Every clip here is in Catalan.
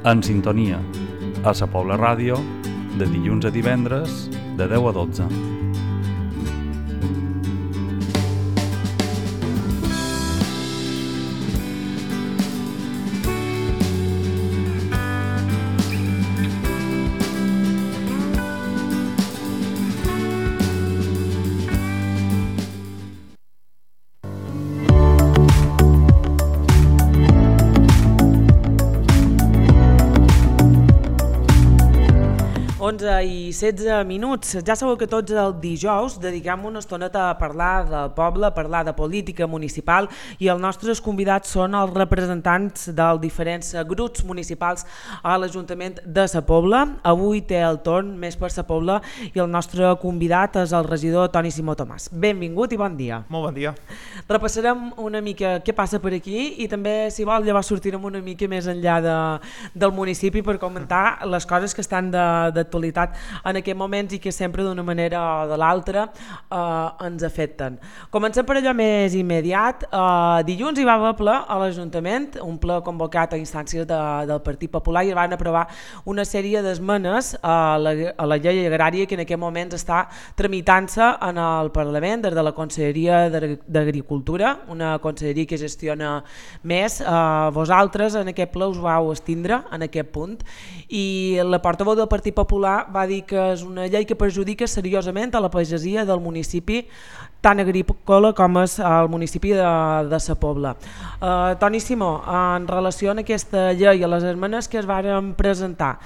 En sintonia, a Sa Pobla Ràdio, de dilluns a divendres, de 10 a 12. I 16 minuts. Ja sabeu que tots els dijous dediquem una estoneta a parlar del poble, a parlar de política municipal, i els nostres convidats són els representants dels diferents grups municipals a l'Ajuntament de Sa Pobla. Avui té el torn més per Sa Pobla i el nostre convidat és el regidor Toni Simó Tomàs. Benvingut i bon dia. Molt bon dia. Repassarem una mica què passa per aquí i també, si vol, llavors sortirem una mica més enllà del municipi per comentar les coses que estan d'actualitat en aquests moments i que sempre d'una manera o de l'altra ens afecten. Comencem per allò més immediat. Dilluns hi va haver ple a l'Ajuntament, un ple convocat a instàncies del Partit Popular, i van aprovar una sèrie d'esmenes a la llei agrària que en aquest moment està tramitant-se en el Parlament des de la Conselleria d'Agricultura, una conselleria que gestiona més. Vosaltres en aquest ple us vau abstindre en aquest punt i la portaveu del Partit Popular va dir que és una llei que perjudica seriosament a la pagesia del municipi tan agrícola com és el municipi de Sa Pobla. Toni Simó, en relació a aquesta llei i a les esmenes que es varen presentar,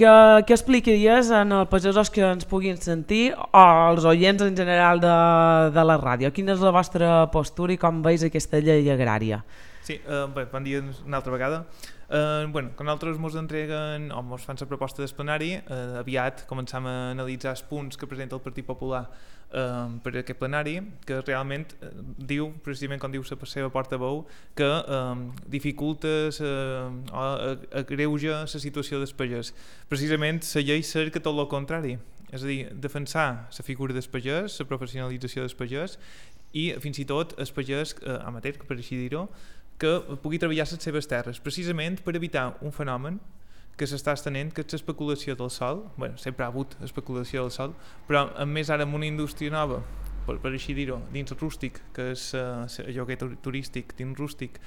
què explicaries als pagesos que ens puguin sentir o als oients en general de la ràdio? Quina és la vostra postura i com veus aquesta llei agrària? Sí, bé, bon dia una altra vegada. Quan nosaltres ens entreguen o ens fan la proposta del plenari, aviat començam a analitzar els punts que presenta el Partit Popular per aquest plenari, que realment diu, precisament com diu la seva portaveu, que dificulta o agreuja la situació dels pagès. Precisament la llei cerca tot el contrari, és a dir, defensar la figura del pagès, la professionalització del pagès i fins i tot el pagès amateur, per així dir-ho, que pugui treballar les seves terres, precisament per evitar un fenomen que s'està estenent, que és l'especulació del sòl. Sempre ha hagut especulació del sòl, però més ara amb una indústria nova, per així dir-ho, dins el rústic, que és el lloguer turístic dins rústic,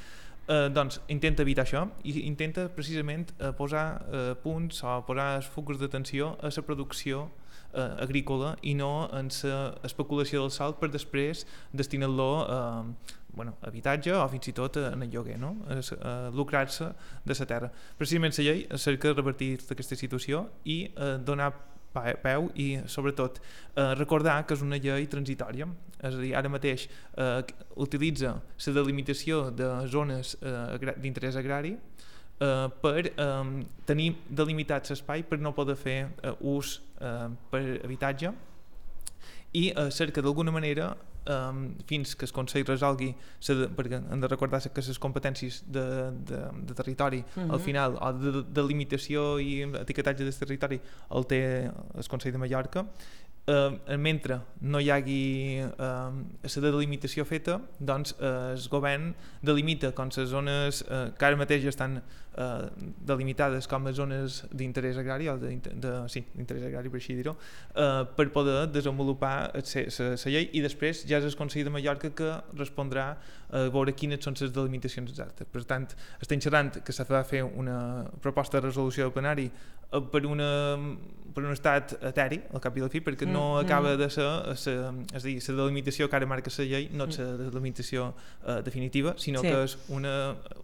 doncs intenta evitar això i intenta precisament posar punts o posar els focus d'atenció a la producció agrícola i no en l'especulació del sòl per després destinar-lo a habitatge o fins i tot en el lloguer, no? Lucrar-se de la terra. Precisament la llei cerca de revertir aquesta situació i donar peu i sobretot recordar que és una llei transitòria, és a dir, ara mateix utilitza la delimitació de zones d'interès agrari per tenir delimitat l'espai per no poder fer ús per habitatge i cerca d'alguna manera fins que el Consell resolgui, perquè hem de recordar que les competències de territori al final, o de delimitació i etiquetatge del territori el té el Consell de Mallorca, mentre no hi hagi la delimitació feta, doncs el govern delimita com les zones que ara mateix estan delimitades com a zones d'interès agrari, d'interès agrari per així dir-ho, per poder desenvolupar la llei, i després ja és el Consell de Mallorca que respondrà a veure quines són les delimitacions exactes. Per tant, estem xerrant que s'ha de fer una proposta de resolució del plenari per un estat eteri, al cap i a la fi, perquè no acaba de ser, és a dir, la delimitació que ara marca la llei no és la delimitació definitiva, sinó que és un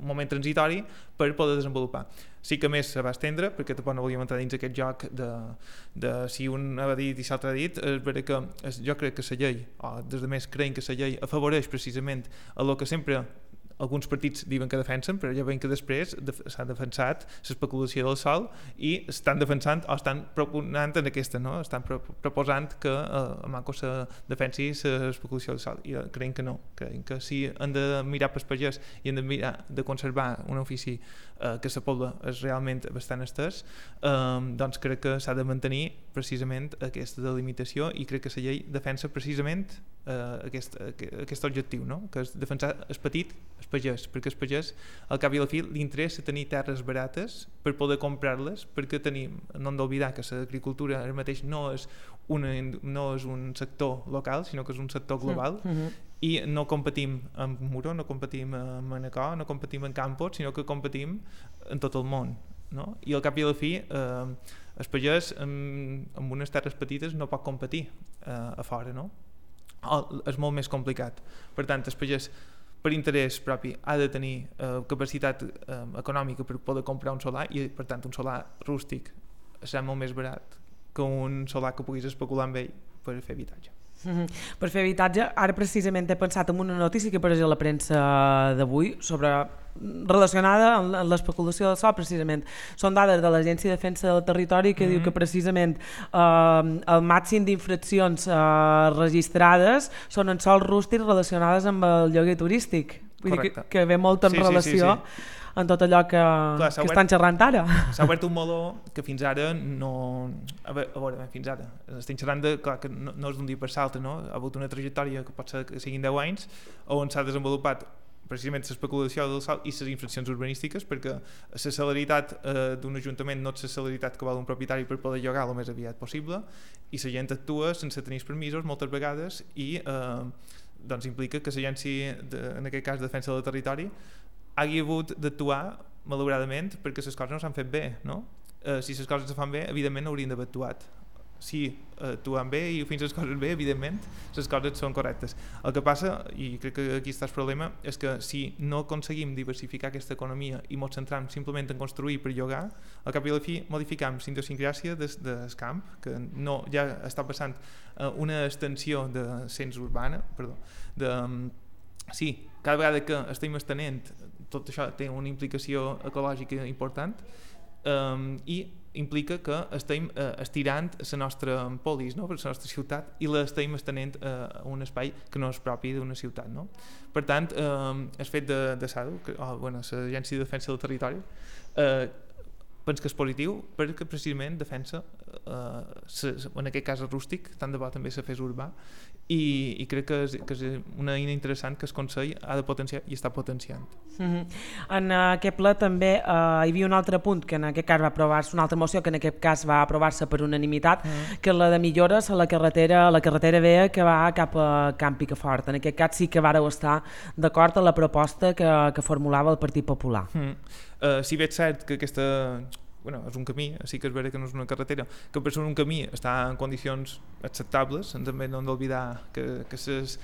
moment transitori per poder desenvolupar. Sí que més se va estendre, perquè tampoc no volíem entrar dins aquest joc de si un ha dit i l'altre ha dit, és vera que jo crec que la llei, o des de més creiem que la llei afavoreix precisament el que sempre alguns partits diuen que defensen, però ja veiem que després s'ha defensat l'especulació del sòl i estan defensant o estan proponent en aquesta, no? Estan proposant que a Manco se defensi l'especulació del sòl, i creiem que no, creiem que si han de mirar pel pagès i han de mirar de conservar un ofici que la Pobla és realment bastant estès, doncs crec que s'ha de mantenir precisament aquesta delimitació, i crec que la llei defensa precisament aquest objectiu, no? Que és defensar el petit, el pagès, perquè el pagès al cap i a la fi li interessa tenir terres barates per poder comprar-les, perquè no hem d'oblidar que l'agricultura ara mateix no és un sector local, sinó que és un sector global, i no competim amb Muro, no competim amb Manacor, no competim en Campos, sinó que competim en tot el món, no? I al cap i a la fi el pagès amb unes terres petites no pot competir a fora, no? És molt més complicat. Per tant, el pagès per interès propi ha de tenir capacitat econòmica per poder comprar un solar, i per tant un solar rústic serà molt més barat que un solar que puguis especular amb ell per fer habitatge. Per fer habitatge, ara precisament he pensat en una notícia que apareix a la premsa d'avui relacionada amb l'especulació del sòl. Precisament són dades de l'Agència de Defensa del Territori que diu que precisament el màxim d'infraccions registrades són en sòls rústics relacionades amb el lloguer turístic. Vull dir que ve molt en relació en tot allò que estan xerrant ara. S'ha obert un meló que fins ara no... A veure, fins ara estem xerrant de... Clar, que no és d'un dia per l'altre, no? Ha hagut una trajectòria que pot ser que siguin 10 anys on s'ha desenvolupat precisament l'especulació del sòl i les infraccions urbanístiques, perquè la celeritat d'un ajuntament no és la celeritat que vol un propietari per poder llogar el més aviat possible, i la gent actua sense tenir permisos moltes vegades, i doncs implica que l'agència, en aquest cas de Defensa del Territori, hagi hagut d'actuar malauradament perquè les coses no s'han fet bé, no? Si les coses es fan bé, evidentment haurien d'haver actuat. Si actuen bé i fins les coses bé, evidentment les coses són correctes. El que passa, i crec que aquí està el problema, és que si no aconseguim diversificar aquesta economia i ens centram simplement en construir per llogar, al cap i a la fi modificam la idiosincràsia del camp, que no, ja està passant una extensió de cens urbana, sí, cada vegada que estem estenent, tot això té una implicació ecològica important, i implica que estem estirant la nostra polis, no? Per la nostra ciutat, i l'estem estenent a un espai que no és propi d'una ciutat, no? Per tant, el fet de SADU, l'Agència de Defensa del Territori, penso que és positiu perquè precisament defensa en aquest cas el rústic, tant de bo també se fes urbà, i crec que és una eina interessant que el Consell ha de potenciar i està potenciant. En aquest ple també hi havia un altre punt que en aquest cas va aprovar-se, una altra moció que en aquest cas va aprovar-se per unanimitat, que és la de millores a la carretera vella que va cap a Camp Picafort. En aquest cas sí que vàreu estar d'acord amb la proposta que formulava el Partit Popular. Si bé és cert que aquesta... és un camí, sí que és vera que no és una carretera, que per ser un camí està en condicions acceptables, també no hem d'oblidar que les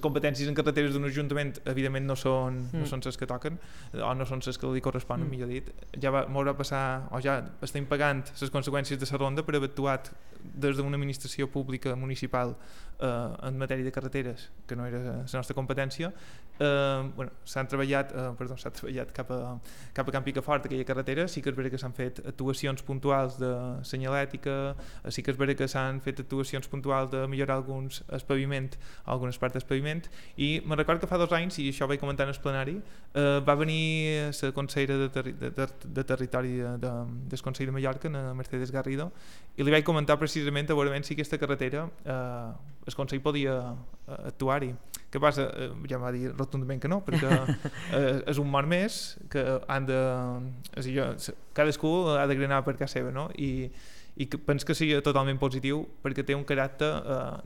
competències en carreteres d'un ajuntament evidentment no són les que toquen, o no són les que li corresponen, millor dit. Ja m'haurà passar, o ja estem pagant les conseqüències de la ronda per haver actuat des d'una administració pública municipal en matèria de carreteres, que no era la nostra competència. S'ha treballat cap a Camp Picafort, aquella carretera. Sí que és vera que s'han fet actuacions puntuals de senyalètica, sí que és vera que s'han fet actuacions puntuals de millorar alguns algunes parts del paviment, i me'n recordo que fa 2 anys, i això ho vaig comentar en el plenari, va venir la consellera de Territori del Consell de Mallorca, Mercedes Garrido, i li vaig comentar precisament a veure si aquesta carretera el Consell podia actuar-hi. Què passa? Ja em va dir rotundament que no, perquè és un mort més que han de... cadascú ha de granar per casa seva, no? I penso que sigui totalment positiu perquè té un caràcter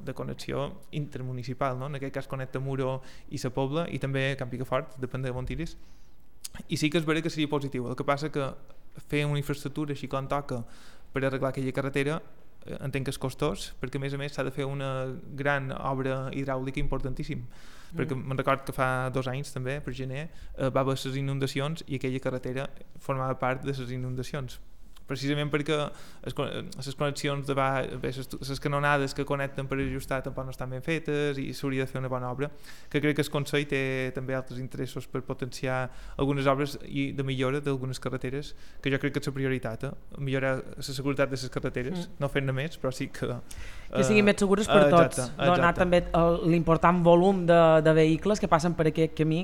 de connexió intermunicipal, no? En aquest cas connecta Muro i la Pobla, i també Camp Picafort, depèn de on tiris, i sí que és vera que seria positiu. El que passa que fer una infraestructura així com toca per arreglar aquella carretera entenc que és costós, perquè a més s'ha de fer una gran obra hidràulica importantíssim, perquè me'n record que fa 2 anys també, per gener, va haver les inundacions i aquella carretera formava part de les inundacions, precisament perquè les connexions les canonades que connecten per ajustar tampoc no estan ben fetes, i s'hauria de fer una bona obra, que crec que el Consell té també altres interessos per potenciar algunes obres i de millora d'algunes carreteres, que jo crec que és la prioritat, millorar la seguretat de les carreteres, no fer-ne més, però sí que siguin més segures per tots, donar també l'important volum de vehicles que passen per aquest camí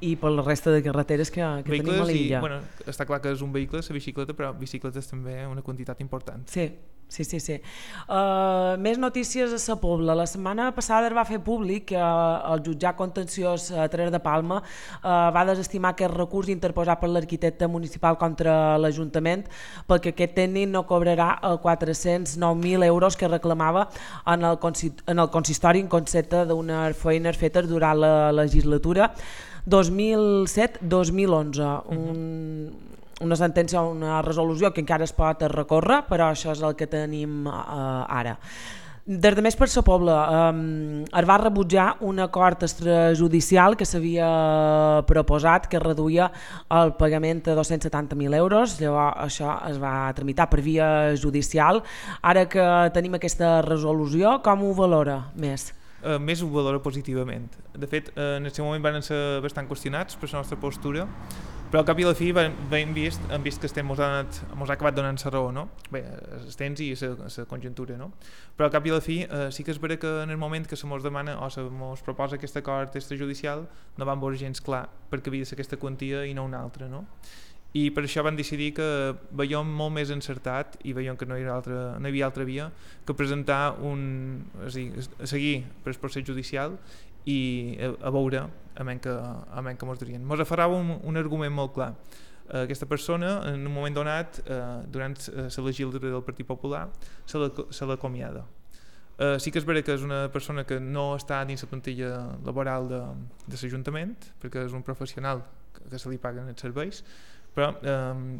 i per la resta de carreteres que tenim a l'illa. Està clar que és un vehicle, la bicicleta, però bicicleta bicicletes també una quantitat important. Sí. Més notícies a Sa Pobla. La setmana passada es va fer públic que el jutjat contenciós Terres de Palma va desestimar aquest recurs interposat per l'arquitecte municipal contra l'Ajuntament perquè aquest tècnic no cobrarà 409.000 euros que reclamava en el consistori en concepte d'unes feines fetes durant la legislatura 2007-2011. Una sentència, una resolució que encara es pot recórrer, però això és el que tenim ara. Des de Més per Sa Pobla es va rebutjar un acord extrajudicial que s'havia proposat que reduïa el pagament a 270.000 euros, llavors això es va tramitar per via judicial. Ara que tenim aquesta resolució, com ho valora Més? Més ho valora positivament. De fet, en aquest moment van ser bastant qüestionats per la nostra postura, però al cap i a la fi hem vist que mos ha acabat donant la raó, no? Bé, els temps i la conjuntura, no? Però al cap i a la fi sí que és vera que en el moment que se mos demana o se mos proposa aquest acord extrajudicial no van veure gens clar perquè havia de ser aquesta quantia i no una altra, no? I per això van decidir que veiem molt més encertat i veiem que no hi havia altra via que presentar seguir per el procés judicial i a veure a menys que mos dirien. Mos aferrava un argument molt clar. Aquesta persona en un moment donat durant la legislatura del Partit Popular se l'acomiada. Sí que és vera que és una persona que no està dins la plantilla laboral de l'Ajuntament perquè és un professional que se li paguen els serveis, però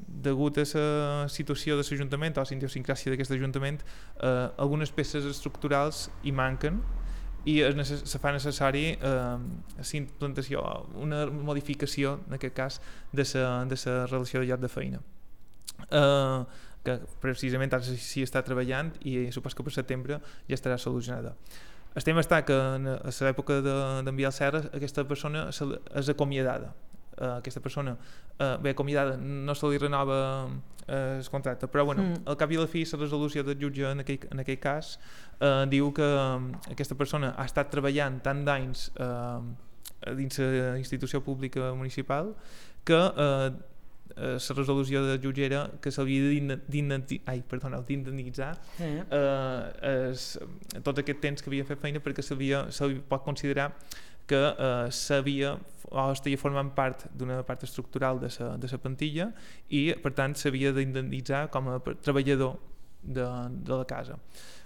degut a la situació de l'Ajuntament o a la idiosincràsia d'aquest Ajuntament algunes peces estructurals hi manquen i se fa necessari la implantació, una modificació en aquest cas de la relació de lloc de feina que precisament ara s'hi està treballant i supos que per setembre ja estarà solucionada. El tema està que a l'època d'enviar el Serra aquesta persona és acomiadada. Aquesta persona acomiadada no se li renova el contracte, però al cap i a la fi la resolució del jutge en aquell cas diu que aquesta persona ha estat treballant tant d'anys dins la institució pública municipal que la resolució del jutge era que s'havia d'indemnitzar tot aquest temps que havia fet feina perquè se li pot considerar que s'havia o estaria formant part d'una part estructural de la plantilla i per tant s'havia d'indemnitzar com a treballador de la casa.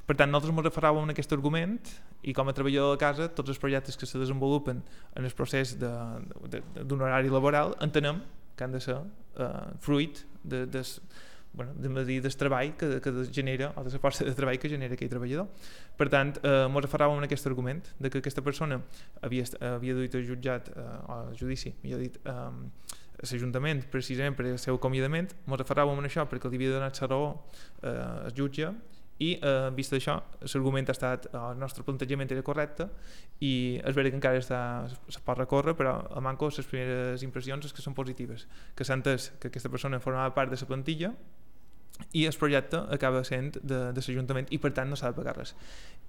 Per tant, nosaltres ens referràvem a aquest argument i com a treballador de la casa tots els projectes que se desenvolupen en el procés d'un horari laboral entenem que han de ser fruit del treball que genera o de la força de treball que genera aquell treballador. Per tant, ens aferràvem en aquest argument de que aquesta persona havia duit al jutjat o al judici, millor dit, a l'Ajuntament precisament per el seu acomiadament. Ens aferràvem en això perquè li havia donat la raó al jutge i vist això, l'argument ha estat el nostre plantejament era correcte i és vera que encara se pot recórrer, però a manco les primeres impressions és que són positives, que s'ha entès que aquesta persona formava part de la plantilla i el projecte acaba sent de l'Ajuntament i per tant no s'ha de pagar res.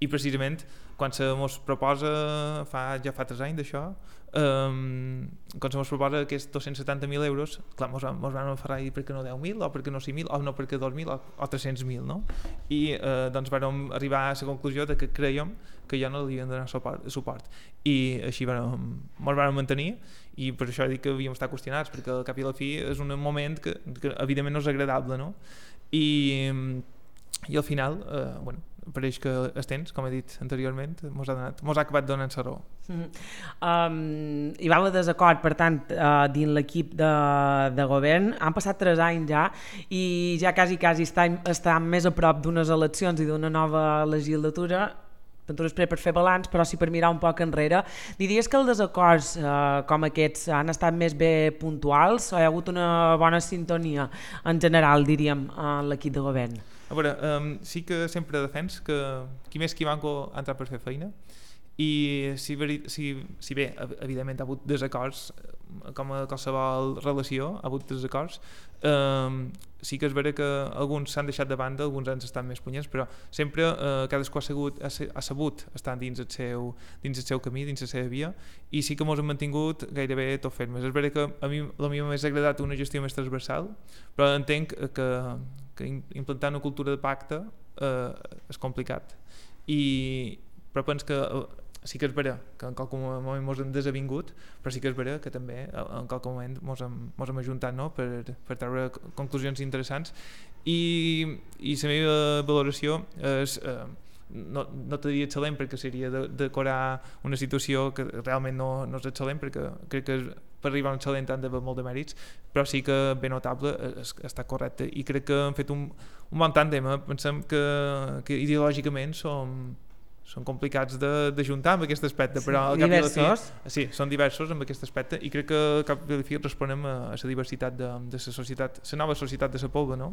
I precisament quan se mos proposa ja fa 3 anys d'això, quan se mos proposa aquests 270.000 euros, clar, mos van aferrar i per què no 10.000 o per què no 5.000 o no per què 2.000 o 300.000, no? I doncs vam arribar a la conclusió de que creiem que ja no li havien de donar suport i així mos vam mantenir i per això dic que havíem estat qüestionats perquè al cap i a la fi és un moment que evidentment no és agradable, no? I al final pareix que els temps, com he dit anteriorment, mos ha acabat donant la raó. Hi va haver desacord, per tant, dins l'equip de govern. Han passat 3 anys ja i ja quasi estan més a prop d'unes eleccions i d'una nova legislatura. Tant després per fer balanç, però sí per mirar un poc enrere. Diries que els desacords com aquests han estat més bé puntuals o hi ha hagut una bona sintonia en general, diríem, en l'equip de govern? A veure, sí que sempre defens que qui més qui manco ha entrat per fer feina i si bé evidentment ha hagut desacords, com a qualsevol relació ha hagut desacords, sí que és vera que alguns s'han deixat de banda, alguns han estat més punyents, però sempre cadascú ha sabut estar dins el seu camí, dins la seva via, i sí que mos hem mantingut gairebé tot fermes. És vera que a mi m'hagués agradat una gestió més transversal, però entenc que implantar una cultura de pacte és complicat, però penso que sí que és vera que en qualque moment mos hem desavingut, però sí que és vera que també en qualque moment mos hem ajuntat, no? per treure conclusions interessants, i la meva valoració és no te diria excel·lent, perquè seria decorar una situació que realment no és excel·lent, perquè crec que per arribar a un excel·lent han d'haver molt de mèrits, però sí que ben notable està correcte, i crec que han fet un bon tàndem. Pensem que ideològicament són complicats d'ajuntar amb aquest aspecte, però al cap i a la fi sí, són diversos amb aquest aspecte, i crec que al cap i a la fi responem a la diversitat de la societat, la nova societat de la Pobla, no?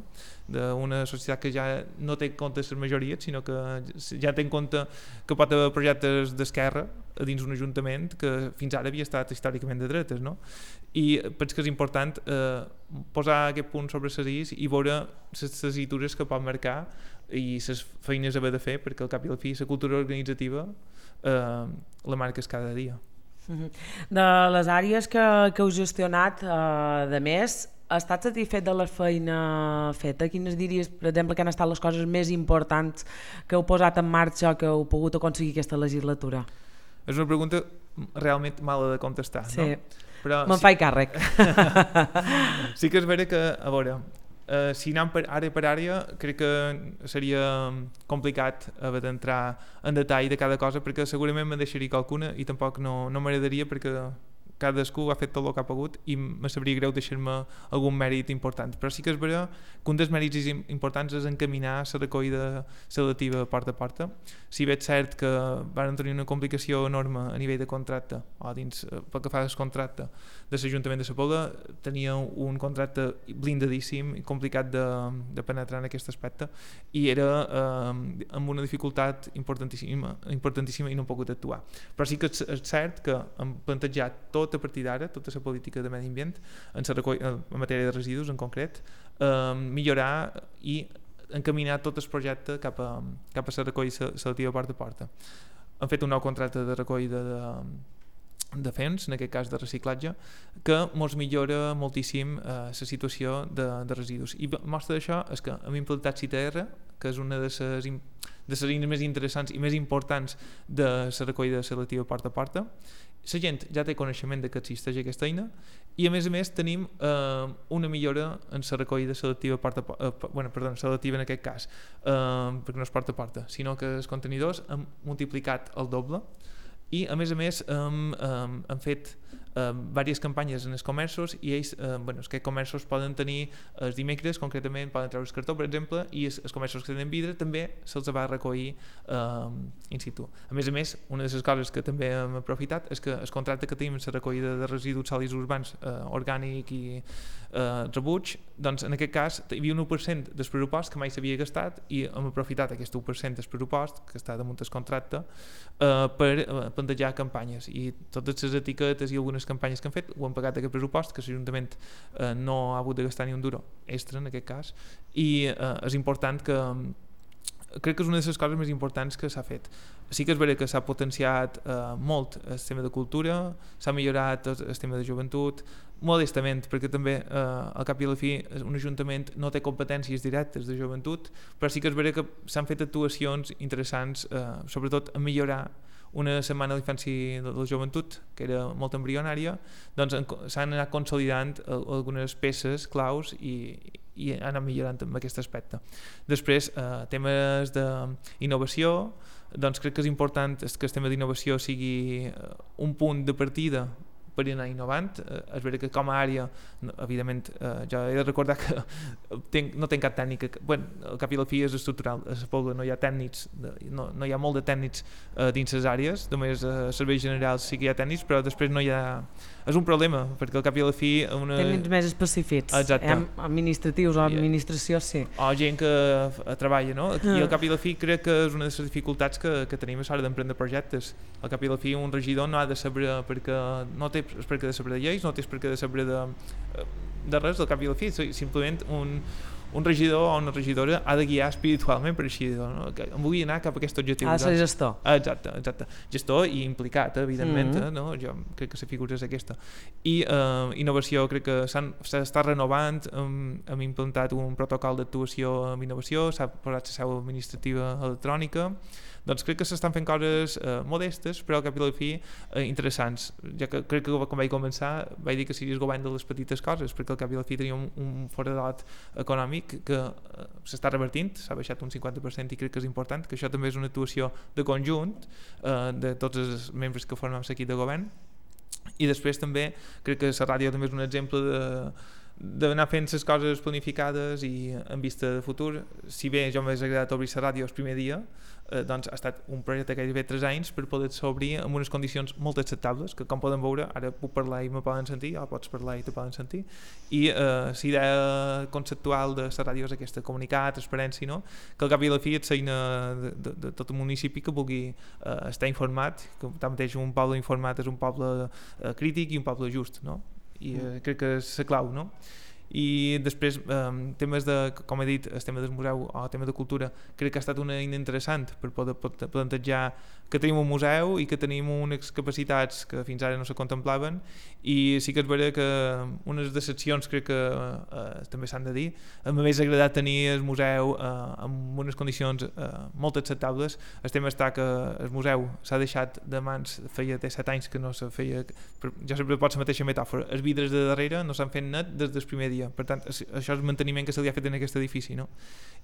D'una societat que ja no té en compte les majories, sinó que ja té en compte que pot haver projectes d'esquerra dins un ajuntament que fins ara havia estat històricament de dretes, no? I penso que és important posar aquest punt sobre les is i veure les tessitures que pot marcar i les feines a haver de fer, perquè al cap i al fi la cultura organitzativa la marques cada dia. De les àrees que heu gestionat, de més, has estat satisfet de la feina feta? Quines diries, per exemple, que han estat les coses més importants que heu posat en marxa o que heu pogut aconseguir aquesta legislatura? És una pregunta realment mala de contestar, sí. No? Però me'n faig càrrec. Sí que és vera que, a veure, si anem per àrea, crec que seria complicat haver d'entrar en detall de cada cosa, perquè segurament me'n deixaria qualcuna i tampoc no m'agradaria, perquè cadascú ha fet tot el que ha pogut i me sabria greu deixar-me algun mèrit important, però sí que és vera que un dels mèrits importants és encaminar la recollida selectiva porta a porta. Si bé és cert que van tenir una complicació enorme a nivell de contracte, o dins pel que fa al contracte de l'Ajuntament de la Pobla, tenia un contracte blindadíssim i complicat de penetrar en aquest aspecte, i era amb una dificultat importantíssima i no hem pogut actuar. Però sí que és cert que hem plantejat tot a partir d'ara, tota la política de medi ambient en matèria de residus en concret, millorar i encaminar tot el projecte cap a la recollida selectiva porta a porta. Han fet un nou contracte de recollida de FEMS, en aquest cas de reciclatge, que ens millora moltíssim la situació de residus. I mostra d'això és que hem implantat CITR, que és una de les eines més interessants i més importants de la recollida selectiva porta a porta. La gent ja té coneixement de que existeix aquesta eina, i a més tenim una millora en la recollida selectiva selectiva en aquest cas, perquè no és porta a porta, sinó que els contenidors han multiplicat el doble, i a més han fet diverses campanyes en els comerços, i ells, els comerços poden tenir els dimecres, concretament poden treure el cartó, per exemple, i els comerços que tenen vidre també se'ls va recollir in situ. A més, una de les coses que també hem aprofitat és que el contracte que tenim en la recollida de residus sòlids urbans orgànic i rebuig, doncs en aquest cas hi havia un 1% del pressupost que mai s'havia gastat, i hem aprofitat aquest 1% del pressupost que està damunt del contracte per plantejar campanyes, i totes les etiquetes i algunes campanyes que han fet ho han pagat aquest pressupost, que l'Ajuntament no ha hagut de gastar ni un duro extra en aquest cas, i és important que crec que és una de les coses més importants que s'ha fet. Sí que és vera que s'ha potenciat molt el tema de cultura, s'ha millorat el tema de joventut, modestament, perquè també al cap i a la fi un ajuntament no té competències directes de joventut, però sí que és vera que s'han fet actuacions interessants, sobretot a millorar una setmana d'infància i de la joventut, que era molt embrionària, doncs s'han anat consolidant algunes peces claus i han anat millorant en aquest aspecte. Després, temes d'innovació, doncs crec que és important que el tema d'innovació sigui un punt de partida per anar innovant. És vera que com a àrea, evidentment, jo he de recordar que no tenc cap tècnica, el cap i la fi és estructural, a la Pobla no hi ha tècnics, no hi ha molt de tècnics dins les àrees, només a serveis generals sí que hi ha tècnics, però després no hi ha... És un problema, perquè al cap i la fi... Tècnics més específics, administratius o administració, sí. O gent que treballa, no? I al cap i la fi crec que és una de les dificultats que tenim a l'hora d'emprendre projectes. Al cap i la fi un regidor no ha de saber perquè no té per què de saber de lleis, no té per què de saber de res, al cap i la fi, simplement un regidor o una regidora ha de guiar espiritualment per així, no? Em vull anar cap a aquest objectiu. Ha de ser gestor. Exacte. Gestor i implicat, evidentment, no? Jo crec que la figura és aquesta. I innovació, crec que s'està renovant, hem implantat un protocol d'actuació amb innovació, s'ha posat la seu administrativa electrònica, doncs crec que s'estan fent coses modestes, però al cap i la fi interessants. Ja que crec que quan vaig començar vaig dir que seria el govern de les petites coses, perquè al cap i la fi teníem un foradat econòmic que s'està revertint, s'ha baixat un 50% i crec que és important, que això també és una actuació de conjunt de tots els membres que formem l'equip de govern. I després també crec que la ràdio també és un exemple d'anar fent les coses planificades i en vista de futur. Si bé jo m'hagués agradat obrir la ràdio el primer dia, doncs ha estat un projecte gairebé 3 anys per poder-se obrir amb unes condicions molt acceptables, que com poden veure, ara puc parlar i me poden sentir, o pots parlar i te poden sentir, i la idea conceptual de la ràdio és aquesta, comunicar, transparència, no? Que al cap i la fi és feina de tot el municipi que vulgui estar informat, que tanmateix un poble informat és un poble crític i un poble just, no? I crec que és la clau, no? I després temes de, com he dit, el tema del museu o el tema de cultura, crec que ha estat una eina interessant per poder plantejar que tenim un museu i que tenim unes capacitats que fins ara no se contemplaven, i sí que és vera que unes decepcions crec que també s'han de dir. M'hagués agradat tenir el museu amb unes condicions molt acceptables. El tema està que el museu s'ha deixat de mans, feia 7 anys que no se feia, jo sempre pots la mateixa metàfora, els vidres de darrere no s'han fet net des del primer dia, per tant això és el manteniment que se li ha fet en aquest edifici, no?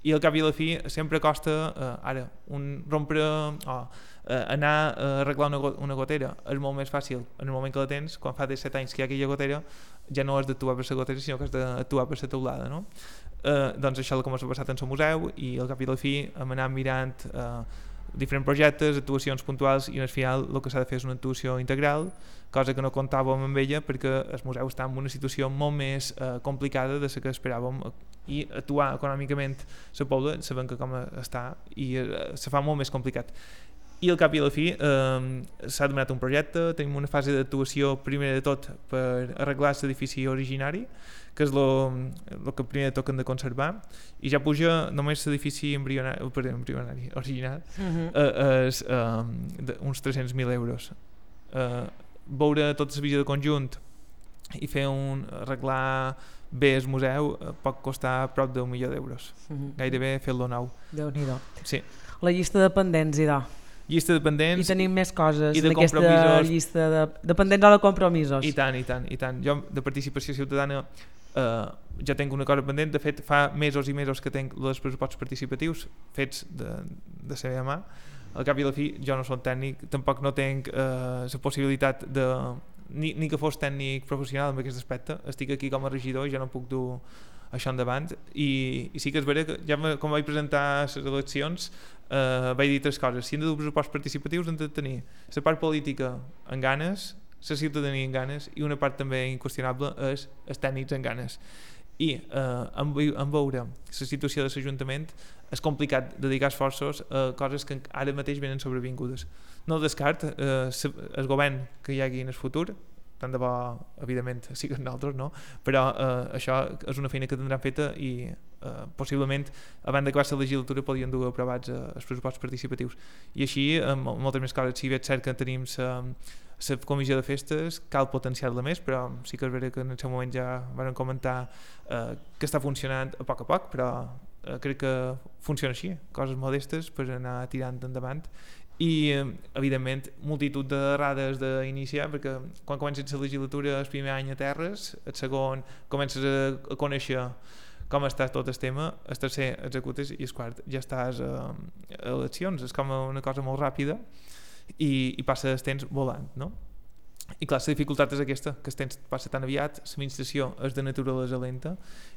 I al cap i a la fi sempre costa ara rompre anar a arreglar una gotera és molt més fàcil en el moment que la tens. Quan fa 7 anys que hi ha aquella gotera ja no has d'actuar per la gotera sinó que has d'actuar per la teulada, no? Doncs això és el que m'ha passat en el museu, i al cap i a la fi hem anat mirant diferents projectes, actuacions puntuals, i al final el que s'ha de fer és una actuació integral, cosa que no comptàvem amb ella perquè el museu està en una situació molt més complicada de la que esperàvem, i actuar econòmicament la Pobla sabem que com està i se fa molt més complicat. I al cap i a la fi s'ha demanat un projecte, tenim una fase d'actuació primer de tot per arreglar l'edifici originari, que és el que primer de tot hem de conservar, i ja puja només l'edifici embrionari original és uns 300.000 euros. Veure tota la visió de conjunt i fer arreglar bé el museu pot costar prop d'1 milió d'euros, gairebé fer-lo nou. Déu-n'hi-do. Sí. La llista de pendents, llista de dependents, i tenim més coses i de en aquesta llista de dependents o de compromisos. I tant. Jo de participació ciutadana ja tinc una cosa pendent. De fet, fa mesos i mesos que tinc els pressupostos participatius fets de la seva mà. Al cap i a la fi jo no soc tècnic, tampoc no tinc la possibilitat de ni que fos tècnic professional en aquest aspecte. Estic aquí com a regidor i ja no puc dur això endavant, i sí que és vera que ja com vaig presentar les eleccions vaig dir 3 coses. Si hem de dur pressupostos participatius hem de tenir la part política en ganes, la ciutadania en ganes, i una part també inqüestionable és els tècnics en ganes. I en veure la situació de l'Ajuntament és complicat dedicar esforços a coses que ara mateix venen sobrevingudes. No descart el govern que hi hagi en el futur, tant de bo, evidentment, siguin nosaltres, no? Però això és una feina que tindran feta, i possiblement abans d'acabar la legislatura podrien dur aprovats els pressupostos participatius. I així, moltes més coses. Si bé és cert que tenim la comissió de festes, cal potenciar-la més, però sí que és vera que en el seu moment ja vam comentar que està funcionant a poc, però crec que funciona així, coses modestes per anar tirant endavant. I evidentment multitud d'errades d'iniciar, perquè quan comences la legislatura el primer any a terres, el segon comences a conèixer com està tot el tema, el tercer executes i el quart ja estàs a eleccions. És com una cosa molt ràpida i passa el temps volant, no? I clar, la dificultat és aquesta, que el temps passa tan aviat, l'administració és de naturalesa lenta,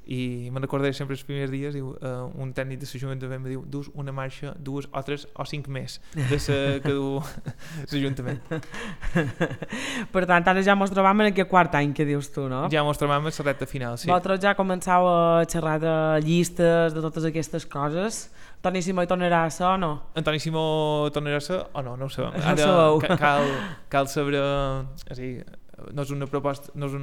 i me'n recordaré sempre els primers dies, un tècnic de l'Ajuntament em diu, dus una marxa, 2 o 3 o 5 més de que du l'Ajuntament. Per tant, ara ja mos trobam en aquest quart any que dius tu, no? Ja mos trobam en la recta final, sí. Vosaltres ja començau a xerrar de llistes, de totes aquestes coses. Toni Simó hi tornarà a ser o no? Antoni Simó tornarà a ser o no? No ho sabem. No ho sabeu. Cal saber... És a dir, no és una proposta, no és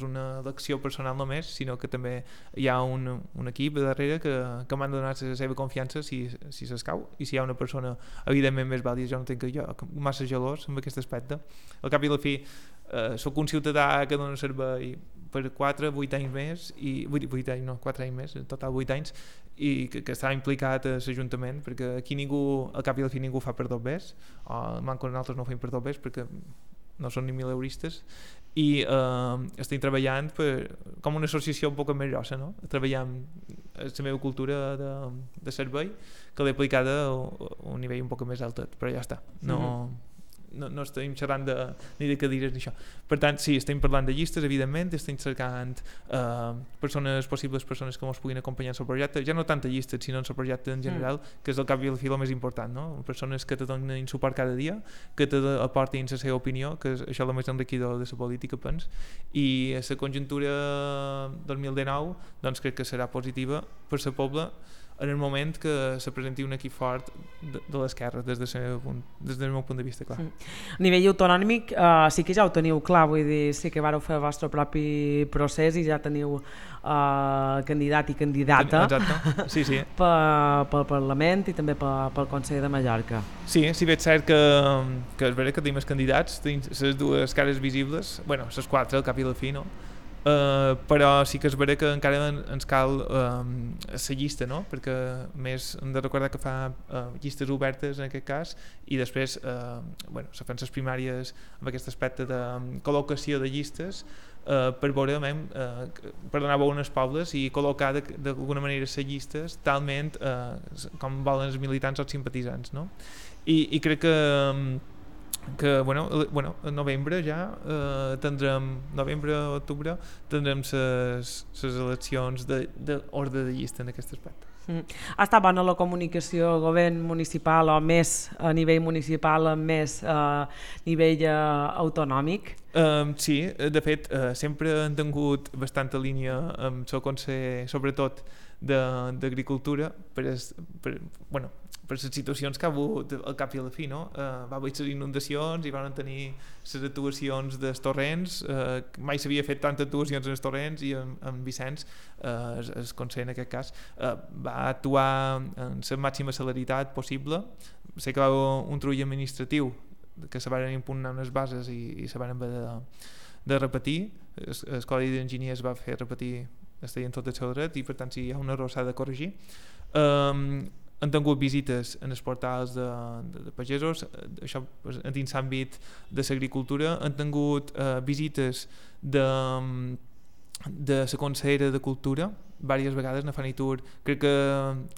una elecció personal només, sinó que també hi ha un equip darrere que m'han donat la seva confiança si s'escau, i si hi ha una persona evidentment més vàlida. Jo no tinc massa gelós amb aquest aspecte. Al cap i la fi soc un ciutadà que dona servei per 4 anys més, 4 anys més, en total 8 anys, i que està implicat a l'Ajuntament, perquè aquí ningú, al cap i la fi, ningú fa per dos bes, o manco nosaltres no fem per dos bes perquè no són ni mileuristes, i estem treballant com una associació un poc més grossa, no? Treballant la meva cultura de servei, que l'he aplicada a un nivell un poc més altet, però ja està, no estem xerrant ni de cadires ni això. Per tant, sí, estem parlant de llistes, evidentment, estem cercant possibles persones que ens puguin acompanyar en el projecte, ja no tant a llistes, sinó en el projecte en general, que és el cap i el fil més important, no? Persones que te donin suport cada dia, que te aportin la seva opinió, que és això el més enriquidor de la política, pens, i la conjuntura 2019 doncs crec que serà positiva per la Pobla en el moment que se presenti un equip fort de l'esquerra, des del meu punt de vista, clar. A nivell autonòmic sí que ja ho teniu clar, vull dir, sí que vareu fer el vostre propi procés i ja teniu candidat i candidata. Exacte, sí. Pel Parlament i també pel Consell de Mallorca. Sí, si bé és cert que és vera que tenim els candidats, tenim les dues cares visibles, bueno, les 4 al cap i la fi, no? Però sí que és vera que encara ens cal la llista, no? Perquè més hem de recordar que fa llistes obertes en aquest cas, i després se fan les primàries amb aquest aspecte de col·locació de llistes per veure per donar veu als pobles i col·locar d'alguna manera les llistes talment com volen els militants o els simpatitzants, no? I crec que a novembre ja octubre tindrem les eleccions d'ordre de llista en aquest aspecte. Ha estat bona la comunicació al govern municipal o més a nivell municipal, més a nivell autonòmic? Sí, de fet sempre han tingut bastanta línia amb el Consell, sobretot d'Agricultura, per les situacions que ha hagut al cap i a la fi, no? Va haver les inundacions i van tenir les actuacions dels torrents, mai s'havia fet tantes actuacions en els torrents, i en Vicenç, el Consell en aquest cas, va actuar en la màxima celeritat possible. Sé que va haver un trull administratiu que se van impugnar unes bases i se van haver de repetir. El Codi d'Enginyers va fer repetir, estaven tot el seu dret, i per tant si hi ha un error s'ha de corregir. Han tingut visites en els portals de pagesos, això dins l'àmbit de l'agricultura. Han tingut visites de la consellera de Cultura, diverses vegades, na Fanitur. Crec que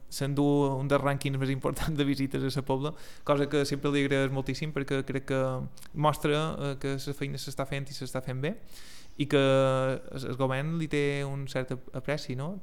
s'endú un dels rànquings més importants de visites a la Pobla, cosa que sempre li agraeix moltíssim, perquè crec que mostra que la feina s'està fent i s'està fent bé, i que el govern li té un cert apreci, no?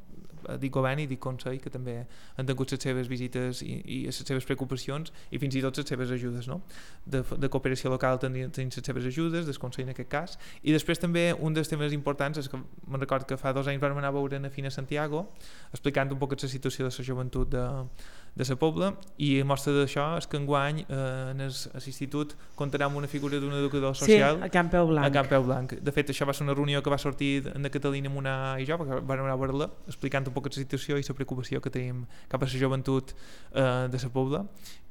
Dic govern i dic Consell, que també han tingut les seves visites i les seves preocupacions, i fins i tot les seves ajudes, no? De cooperació local tenien les seves ajudes, del Consell en aquest cas. I després també un dels temes importants és que me'n record que fa 2 anys vam anar a veure a Fina Santiago, explicant un poc la situació de la joventut de la Pobla, i mostra d'això és que enguany en l'institut comptarà amb una figura d'un educador social. Sí, a Can Peu Blanc. A Can Peu Blanc. De fet, això va ser una reunió que va sortir de Catalina Munà i jo, perquè vam anar a veure-la, explicant un poc la situació i la preocupació que tenim cap a la joventut de la Pobla,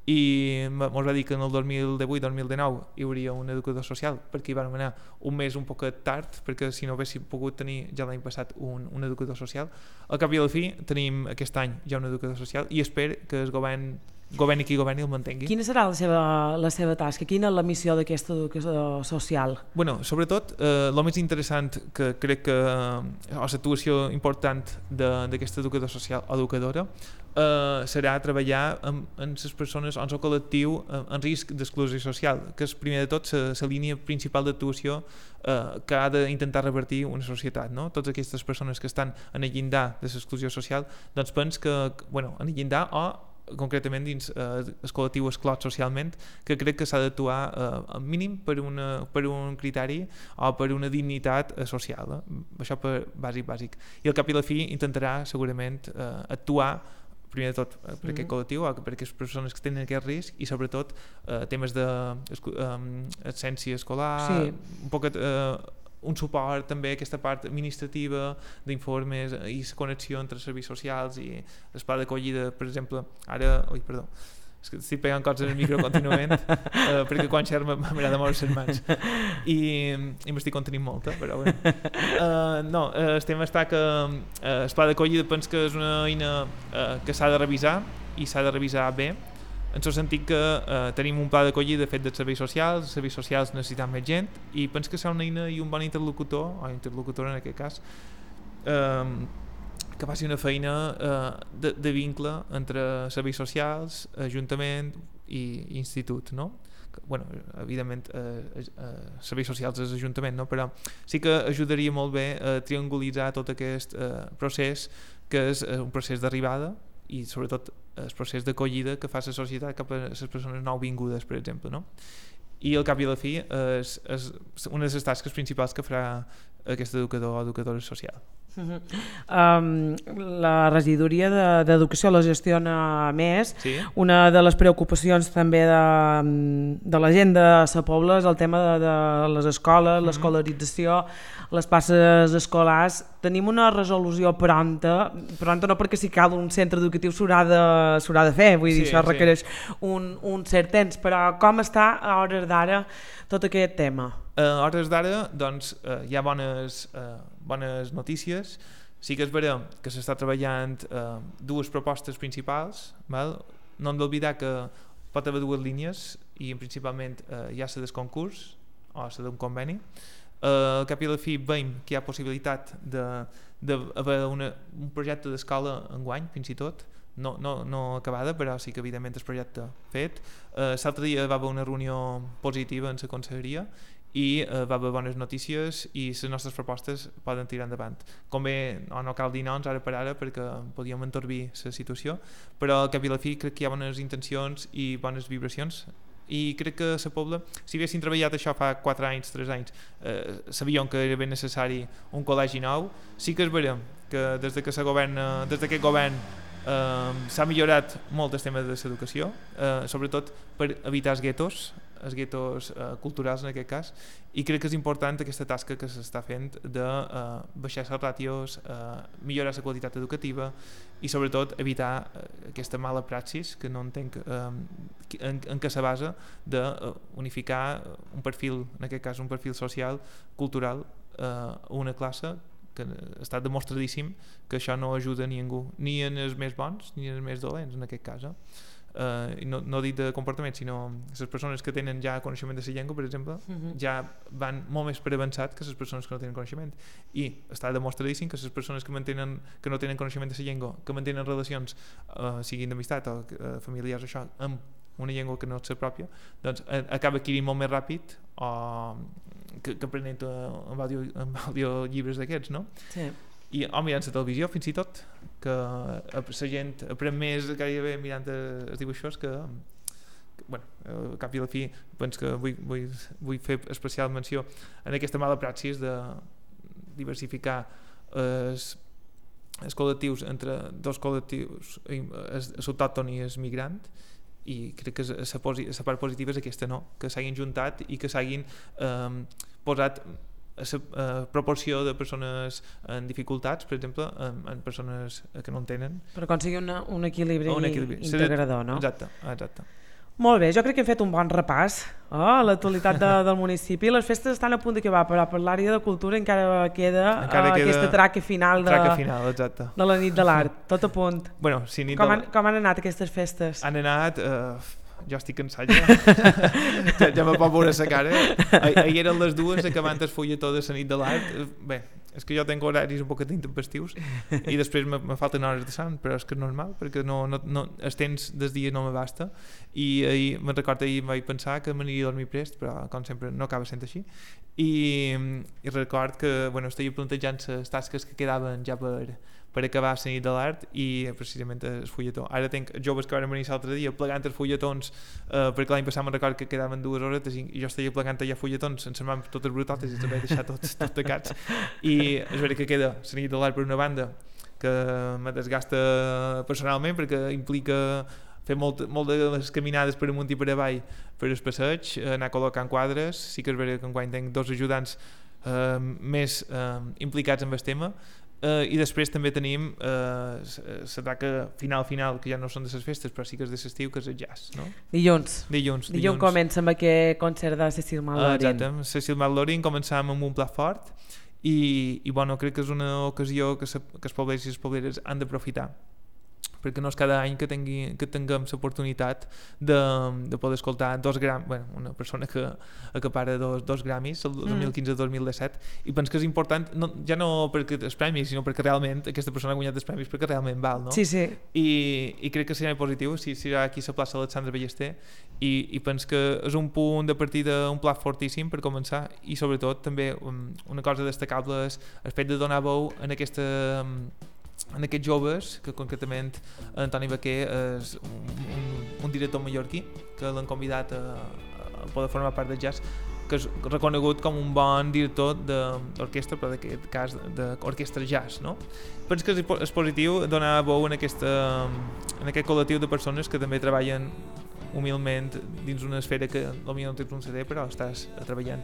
i ens va dir que en el 2018-2019 hi hauria un educador social, perquè hi vam anar un mes un poc tard, perquè si no haguéssim pogut tenir ja l'any passat un educador social. Al cap i a la fi tenim aquest any ja un educador social, i espero que el governi qui governi el mantengui. Quina serà la seva tasca? Quina és la missió d'aquesta educació social? Bueno, sobretot, el més interessant que crec que, o l'actuació important d'aquesta educador social o educadora, serà treballar amb les persones en el col·lectiu en risc d'exclusió social, que és primer de tot la línia principal d'actuació que ha d'intentar revertir una societat, no? Totes aquestes persones que estan en el llindar de l'exclusió social, doncs penso que, en el llindar o concretament dins el col·lectiu exclòs socialment, que crec que s'ha d'actuar al mínim per un criteri o per una dignitat social, això per bàsic. I al cap i la fi intentarà segurament actuar primer de tot per aquest col·lectiu o per aquestes persones que tenen aquest risc i sobretot temes d'absència escolar, un poc un suport també a aquesta part administrativa d'informes i la connexió entre serveis socials i el pla d'acollida, per exemple, és que estic pegant coses en el micro contínuament perquè quan xerro m'agrada moure les mans i m'estic contenint molt, però bé. El tema està que el pla d'acollida penso que és una eina que s'ha de revisar i s'ha de revisar bé, en el sentit que tenim un pla d'acollida fet dels serveis socials necessitem més gent i penso que serà una eina i un bon interlocutor, o interlocutora en aquest cas, que faci una feina de vincle entre serveis socials, ajuntament i institut, no? Evidentment serveis socials és ajuntament, no? Però sí que ajudaria molt bé a triangulitzar tot aquest procés, que és un procés d'arribada i sobretot el procés d'acollida que fa la societat cap a les persones nouvingudes, per exemple, no? I al cap i a la fi és una de les tasques principals que farà aquest educador o educadora social. La regidoria d'educació la gestiona més. Sí? Una de les preocupacions també de la gent de Sa Pobla és el tema de les escoles, l'escolarització, les places escolars. Tenim una resolució pronta no perquè si cal un centre educatiu s'haurà de fer, vull dir, això requereix un cert temps, però com està a hores d'ara tot aquest tema? A hores d'ara doncs, hi ha bones notícies. Sí que és vera que s'està treballant dues propostes principals, val? No hem d'oblidar que pot haver dues línies i principalment hi ha la del concurs o la d'un conveni. Al cap i a la fi veiem que hi ha possibilitat d'haver un projecte d'escola enguany, fins i tot, no acabada, però sí que evidentment el projecte fet. L'altre dia va haver una reunió positiva en la conselleria i va haver bones notícies i les nostres propostes poden tirar endavant. Com bé, no cal dir noms ara per ara perquè podíem entorbir la situació, però al cap i a la fi crec que hi ha bones intencions i bones vibracions i crec que a Pobla, si haguessin treballat això fa 4 anys, 3 anys, sabíem que era ben necessari un col·legi nou. Sí que és vera que des d'aquest govern s'ha millorat molt el tema de l'educació, sobretot per evitar els guetos culturals en aquest cas, i crec que és important aquesta tasca que s'està fent de baixar les ràtios, millorar la qualitat educativa i sobretot evitar aquesta mala praxis que no entenc en què se basa d'unificar un perfil, en aquest cas un perfil social, cultural, a una classe que està demostradíssim que això no ajuda a ningú, ni en els més bons ni en els més dolents en aquest cas. No dic de comportament, sinó les persones que tenen ja coneixement de la llengua, per exemple, ja van molt més per avançat que les persones que no tenen coneixement, i està demostradíssim que les persones que no tenen coneixement de la llengua, que mantenen relacions siguin d'amistat o familiars, això, amb una llengua que no és la pròpia, doncs acaba adquirint molt més ràpid que aprenent amb audiollibres d'aquests, no? Sí. I mirant la televisió fins i tot, que la gent aprèn més gairebé mirant els dibuixos que al cap i a la fi penso que vull fer especial menció en aquesta mala praxis de diversificar els col·lectius entre dos col·lectius, l'autòcton i el migrant, i crec que la part positiva és aquesta, no? Que s'hagin juntat i que s'hagin posat la proporció de persones en dificultats, per exemple, en persones que no en tenen. Per aconseguir un equilibri integrador, no? Exacte. Molt bé, jo crec que hem fet un bon repàs a l'actualitat del municipi. Les festes estan a punt d'acabar, però per l'àrea de cultura encara queda aquesta traca final de la nit de l'art, tot a punt. Com han anat aquestes festes? Han anat... jo estic cansat ja me pot veure la cara. Ahir eren les 2 acabant el fulletó de la nit de l'art. Bé, és que jo tinc horaris un poquet intempestius i després me falten hores de son, però és que és normal, perquè no, el temps del dia no m'abasta, i ahir, me'n recordo, ahir vaig pensar que m'aniria a dormir prest, però com sempre no acaba sent així, i record que, bueno, estava plantejant les tasques que quedaven ja per acabar la nit de l'art i precisament el fulletó. Ara tinc joves que van venir l'altre dia plegant els fulletons, perquè l'any passat me'n record que quedaven 2 horetes i jo estava plegant allà fulletons sense mans totes brutotes i els vaig deixar tots tacats, i és veritat que queda la nit de l'art per una banda que me desgasta personalment perquè implica fer molt de les caminades per amunt i per avall per el passeig, anar col·locant quadres. Sí que és veritat que enguany tinc 2 ajudants més implicats en el tema, i després també tenim la taca final, que ja no són de les festes, però sí que és de l'estiu, que és el jazz, no? Dilluns comença amb aquest concert de Cecil McLaurin. Exacte, Cecil McLaurin començàvem amb un plat fort i bueno, crec que és una ocasió que els poblers i les pobleres han d'aprofitar, perquè no és cada any que tinguem l'oportunitat de poder escoltar una persona que acapara dos Grammys el 2015-2017, i penso que és important, ja no perquè els premis, sinó perquè realment aquesta persona ha guanyat els premis perquè realment val, no? Sí. I crec que serà positiu si serà aquí a la plaça Alexandre Ballester, i penso que és un punt de partida, un plat fortíssim per començar, i sobretot també una cosa destacable és el fet de donar veu en aquests joves, que concretament Antoni Baquer és un director mallorquí que l'han convidat a poder formar part del jazz, que és reconegut com un bon director d'orquestra, però en aquest cas d'orquestra jazz, no? Penso que és positiu donar veu en aquest col·lectiu de persones que també treballen humilment dins una esfera que potser no tens un CD, però estàs treballant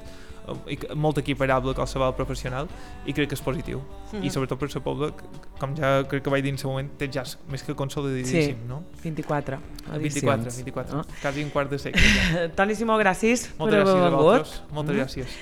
molt equiparable a qualsevol professional, i crec que és positiu. I sobretot per el poble, com ja crec que vaig dir en el moment, té jazz més que consolidadíssim, no? 24 edicions. 24, quasi un quart de segle. Toni Simó, gràcies per haver vingut. Moltes gràcies.